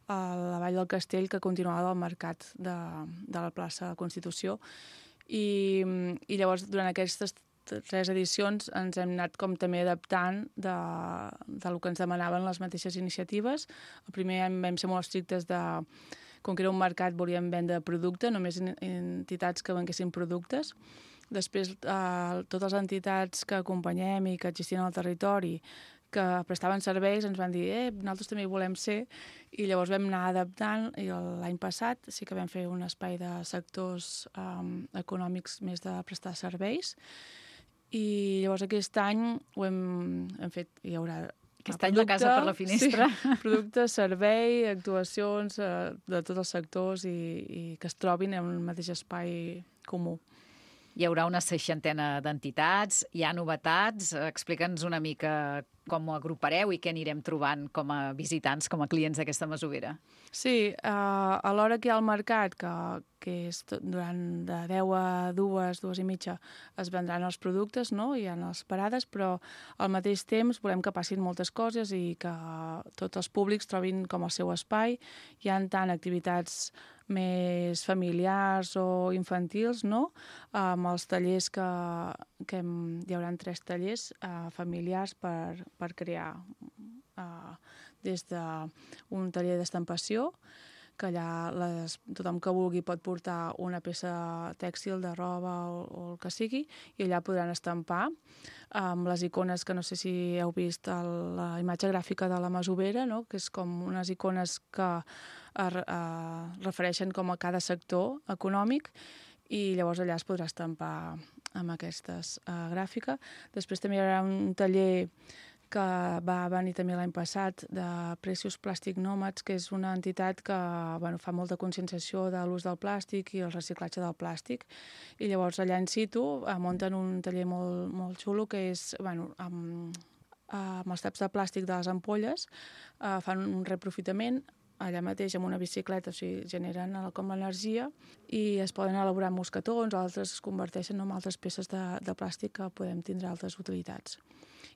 a la Vall del Castell, que continuava del mercat de la plaça Constitució. I llavors, durant aquestes 3 edicions, ens hem anat com també adaptant del que ens demanaven les mateixes iniciatives. El primer vam ser molt estrictes com que era un mercat, volíem vendre producte, només entitats que venguessin productes. Després, totes les entitats que acompanyem i que existien al territori, que prestaven serveis, ens van dir nosaltres també hi volem ser, i llavors vam anar adaptant, i l'any passat sí que vam fer un espai de sectors econòmics més de prestar serveis, i llavors aquest any ho hem fet, hi haurà aquest any la casa per la finestra. Sí, producte, servei, actuacions de tots els sectors i que es trobin en un mateix espai comú. Hi haurà una 60 d'entitats, hi ha novetats. Explica'ns una mica com ho agrupareu i què anirem trobant com a visitants, com a clients d'aquesta Masovera. Sí, alhora que hi ha el mercat, que és durant de 10 a 2, 2 i mitja, es vendran els productes, no? Hi ha les parades, però al mateix temps volem que passin moltes coses i que tots els públics trobin com el seu espai. Hi ha tant activitats més familiars o infantils, no? Amb els tallers hi haurà 3 tallers familiars per crear des d'un taller d'estampació, que allà tothom que vulgui pot portar una peça tèxtil de roba o el que sigui, i allà podran estampar amb les icones que no sé si heu vist la imatge gràfica de la Masovera, no? Que és com unes icones que refereixen com a cada sector econòmic, i llavors allà es podrà estampar amb aquestes gràfica. Després també hi haurà un taller que va venir també l'any passat de Precious Plastic Nomads, que és una entitat que fa molta conscienciació de l'ús del plàstic i el reciclatge del plàstic. I llavors allà in situ munten un taller molt, molt xulo, que és amb els taps de plàstic de les ampolles, fan un reaprofitament allà mateix amb una bicicleta, o sigui, generen com l'energia i es poden elaborar mosquetons, altres es converteixen en altres peces de plàstic que podem tindre altres utilitats.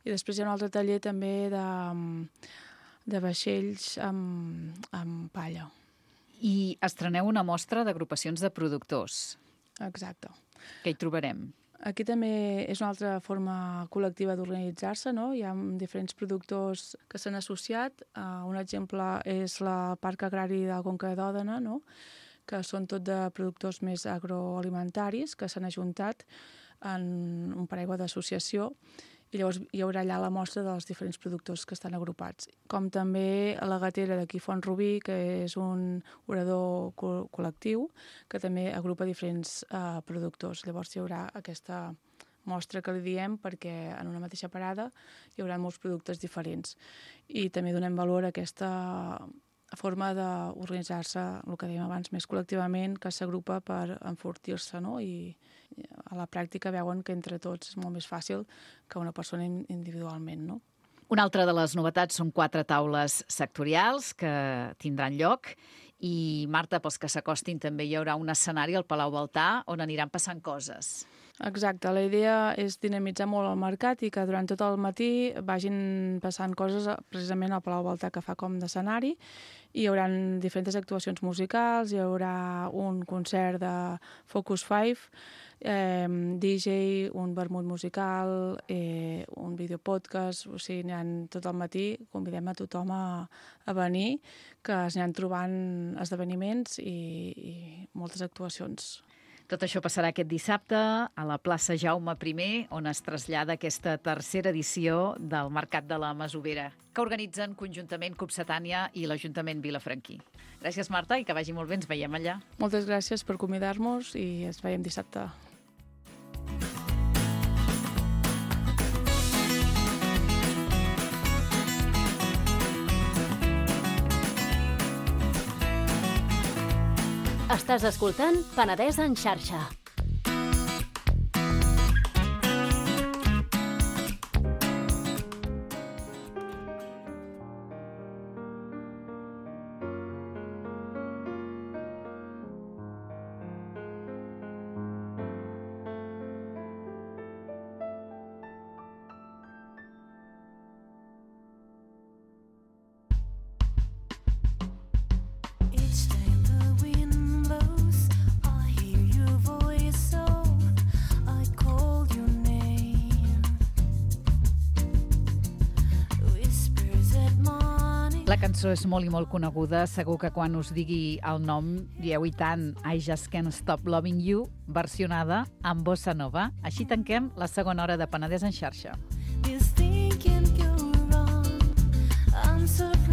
I després hi ha un altre taller també de vaixells amb palla. I estreneu una mostra d'agrupacions de productors. Exacte. Què hi trobarem? Aquí també és una altra forma col·lectiva d'organitzar-se, no? Hi ha diferents productors que s'han associat. Un exemple és el Parc Agrari de la Conca d'Òdena, no? Que són tot de productors més agroalimentaris que s'han ajuntat en un paraigua d'associació, i llavors hi haurà allà la mostra dels diferents productors que estan agrupats. Com també a la Gatera d'aquí Font-rubí, que és un orador col·lectiu que també agrupa diferents productors. Llavors hi haurà aquesta mostra que li diem perquè en una mateixa parada hi haurà molts productes diferents. I també donem valor a aquesta forma d'organitzar-se, el que dèiem abans, més col·lectivament, que s'agrupa per enfortir-se, no? I a la pràctica veuen que entre tots és molt més fàcil que una persona individualment, no? Una altra de les novetats són 4 taules sectorials que tindran lloc I, Marta, pels que s'acostin també hi haurà un escenari al Palau Baltà on aniran passant coses. Exacte, la idea és dinamitzar molt el mercat i que durant tot el matí vagin passant coses precisament al Palau Baltà, que fa com d'escenari. Hi haurà diferents actuacions musicals, hi haurà un concert de Focus 5, DJ, un vermut musical, un videopodcast, o sigui, n'hi ha tot el matí, convidem a tothom a venir, que es aniran trobant esdeveniments i moltes actuacions. Tot això passarà aquest dissabte a la plaça Jaume I, on es trasllada aquesta tercera edició del Mercat de la Masovera, que organitzen conjuntament Copsetània i l'Ajuntament Vilafranquí. Gràcies, Marta, i que vagi molt bé, ens veiem allà. Moltes gràcies per convidar-nos i ens veiem dissabte. Estàs escoltant Penedès en xarxa. La cançó és molt i molt coneguda. Segur que quan us digui el nom dieu i tant I Just Can't Stop Loving You, versionada amb bossa nova. Així tanquem la segona hora de Penedès en xarxa. This thing can go wrong. I'm surprised.